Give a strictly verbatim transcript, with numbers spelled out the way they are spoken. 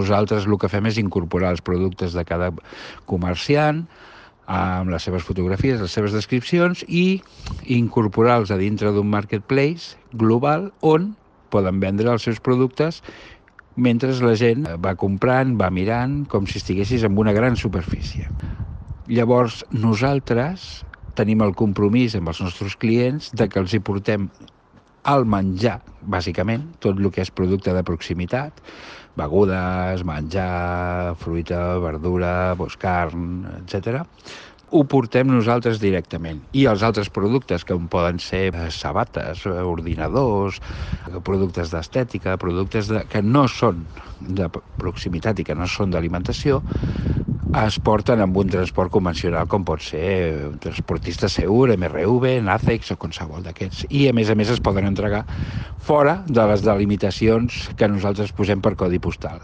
Nosaltres el que fem és incorporar els productes de cada comerciant amb les seves fotografies, les seves descripcions i incorporar-los a dintre d'un marketplace global on poden vendre els seus productes mentre la gent va comprant, va mirant, com si estiguessis en una gran superfície. Llavors, nosaltres tenim el compromís amb els nostres clients de que els hi portem el menjar, bàsicament, tot el que és producte de proximitat, begudes, menjar, fruita, verdura, doncs carn, etcètera, ho portem nosaltres directament. I els altres productes, que poden ser sabates, ordinadors, productes d'estètica, productes de, que no són de proximitat i que no són d'alimentació, es porten amb un transport convencional com pot ser un transportista segur, M R V, Nacex o qualsevol d'aquests. I a més a més es poden entregar fora de les delimitacions que nosaltres posem per codi postal.